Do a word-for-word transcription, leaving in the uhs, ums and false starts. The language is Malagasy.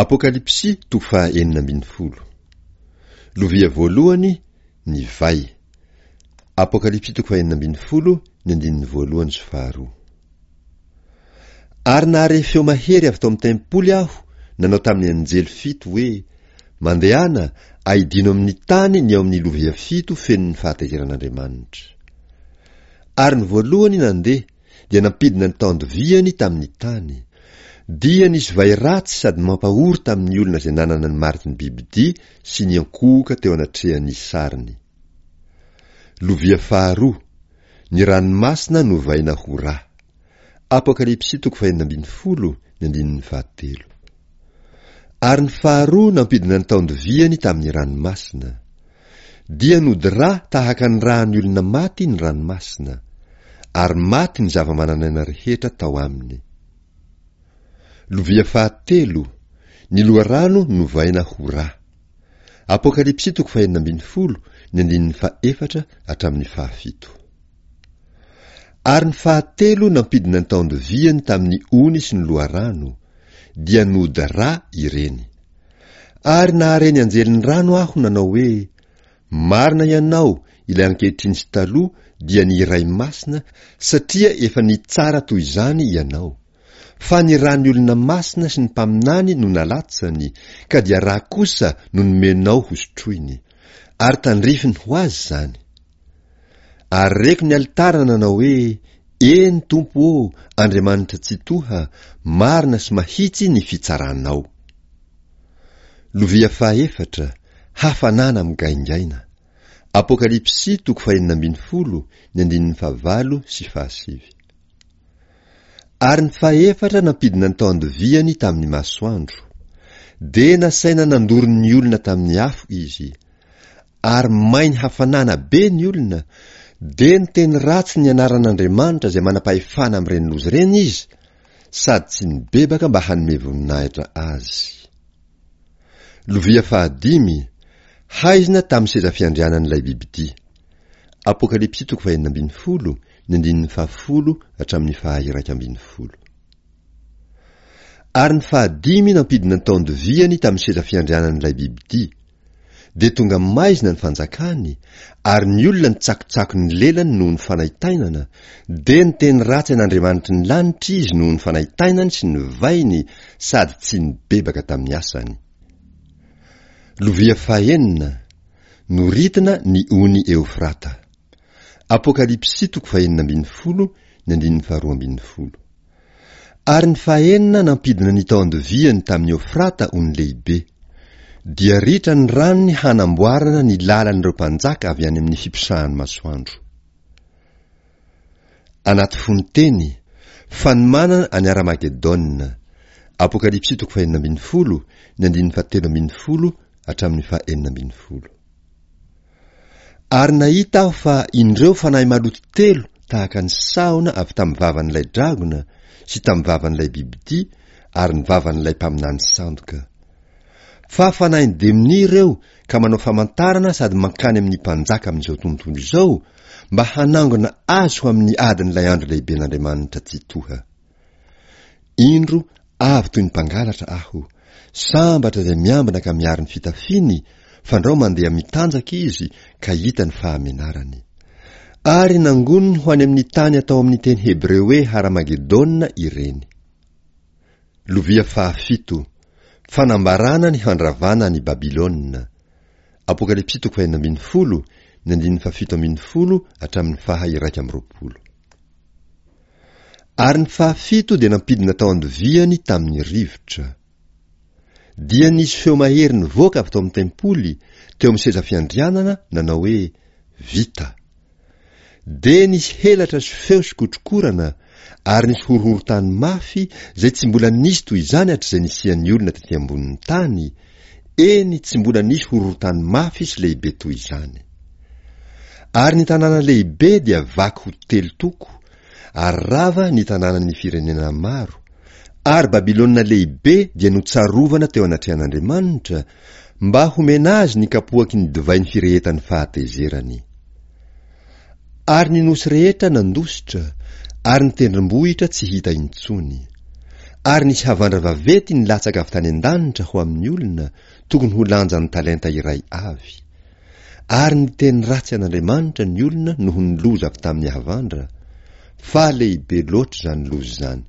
Apokalypsy toko faha enina ambin'ny folo. Lovia voalohany, ny vay. Apokalypsy toko faha enina ambin'ny folo, ny andininy voalohany sy faharoa. Ary nahare feo mahery avy tao amin'ny tempoly aho nanao tamin'ny anjely fito hoe, Mandehana, aidino amin'ny tany ny ao amin'ny lovia fito feno ny fahatezeran'Andriamanitra. Ary ny voalohany nandeha, dia nampidina ny taon-doviany tamin'ny tany. Dia nisy vay ratsy sady mampahory tamin'ny olona izay nanana ny mariky ny bibidia sy niankohoka teo anatrehan'ny sariny. Lovia faharoa, ny ranomasina novaina ho ra. Apokalypsy toko fahenina ambin'ny folo, ny andininy fahatelo. Ary ny faharoa nampidina ny taon-doviany tamin'ny ranomasina. Dia nody ra tahaka ny ràn'ny olona maty ny ranomasina, ary maty ny zava-manan'aina rehetra tao aminy. Lovia fahatelo, ny loharano novaina ho ra. Apokalypsy toko fahenina ambin'ny folo, ny andininy fahefatra hatramin'ny fahafito. Ary ny fahatelo nampidina ny taon-doviany tamin'ny ony sy ny loharano, dia nody ra ireny. Ary nahare ny anjelin'ny rano aho nanao hoe, Marina ianao, ilay ankehitriny sy taloha, dia ny Iray Masina, satria efa nitsara toy izany ianao. Fa ny ràn'ny olona masina sy ny mpaminany no nalatsany, ka dia rà kosa no nomenao hosotroiny. Ary tandrifiny ho azy izany. Ary reko ny alitara nanao hoe, Eny, Tompo ô, Andriamanitra Tsitoha, marina sy mahitsy ny fitsaranao. Lovia fahaefatra, hafanana migaingaina. Apokalypsy toko fahenina ambin'ny folo, ny andininy fahavalo sy fahasivy. Ary ny fahefatra nampidina ny taon-doviany tamin'ny masoandro. Dia nasaina nandoro ny olona tamin'ny afo izy. Ary may ny hafanana be ny olona, dia niteny ratsy ny anaran'Andriamanitra izay manam-pahefana amin'ireny loza ireny izy, sady tsy nibebaka mba hanome voninahitra azy. Lovia fahadimy, haizina tamin'ny seza fiandrianan'ilay bibidia. Apokalypsy toko fahenina ambin'ny folo, ny andininy fahafolo hatramin'ny faha-iraika ambin'ny folo. Ary ny fahadimy nampidina ny taon-doviany tamin'ny seza fiandrianan'ilay bibidia. Dia tonga maizina ny fanjakany, ary ny olona nitsakotsako ny lelany noho ny fanaintainana, dia niteny ratsy an'Andriamanitry ny lanitra izy noho ny fanaintainany sy ny vainy sady tsy nibebaka tamin'ny asany. Lovia fahenina, noritina ny ony Eofrata. Apokalypsy toko fahenina ambin'ny folo, ny andininy faharoa ambin'ny folo. Ary ny fahenina nampidina ny tao an-doviany tamin'i Eofrata ony lehibe. Dia ritra ny ranony hanamboarana ny lalan'ireo mpanjaka avy any amin'ny fiposahan'ny masoandro. Anaty fononteny, fanomanana an'i Aramagedona. Apokalypsy toko fahenina ambin'ny folo, ny andininy fahatelo ambin'ny folo hatramin'ny fahenina ambin'ny folo. Ary nahita aho fa indreo fanahy maloto telo tahaka ny sahona avy tamin'ny vavan'ilay dragona sy tamin'ny vavan'ilay bibidia ary ny vavan'ilay mpaminany sandoka. Fa fanahin'ny demonia ireo ka manao famantarana sady mankany amin'ny mpanjaka amin'izao tontolo izao mba hanangona azy ho amin'ny adin'ilay andro lehiben'Andriamanitra Tsitoha. Indro avy toy ny mpangalatra aho. Sambatra izay miambina ka miaro ny fitafiany, fandrao mandeha mitanjaka izy ka hita ny fahamenarany. Ary nangoniny ho any amin'ny tany atao amin'ny teny hebreo hoe Haramagedona ireny. Lovia fahafito, Fanambarana ny handravana an'i Babylona. Apokalypsy toko fahenina ambin'ny folo, ny andininy fahafito ambin'ny folo hatramin'ny faha iraika amby roapolo. Ary ny fahafito dia nampidina tao an-doviany tamin'ny rivotra. Dia nisy feo mahery nivoaka avy tao amin'ny tempoly, teo amin'ny seza fiandrianana, nanao hoe, Vita! Dia nisy helatra sy feo sy kotrokorana, ary nisy horohorontany mafy izay tsy mbola nisy toy izany hatrizay nisian'ny olona tety ambonin'ny tany, eny, tsy mbola nisy horohorontany mafy sy lehibe toy izany. Ary ny tanàna lehibe dia vaky ho telo toko, ary rava ny tanànan'ny firenena maro, ary Babylona lehibe dia notsarovana teo anatrehan'Andriamanitra, mba homena azy ny kapoaky ny divain'ny firehetan'ny fahatezerany. Ary ny nosy rehetra nandositra, ary ny tendrombohitra tsy hita intsony. Ary nisy havandra vaventy nilatsaka avy tany an-danitra ho amin'ny olona, tokony ho lanjan'ny talenta iray avy. Ary niteny ratsy an'Andriamanitra ny olona noho ny loza avy tamin'ny havandra, fa lehibe loatra izany loza izany.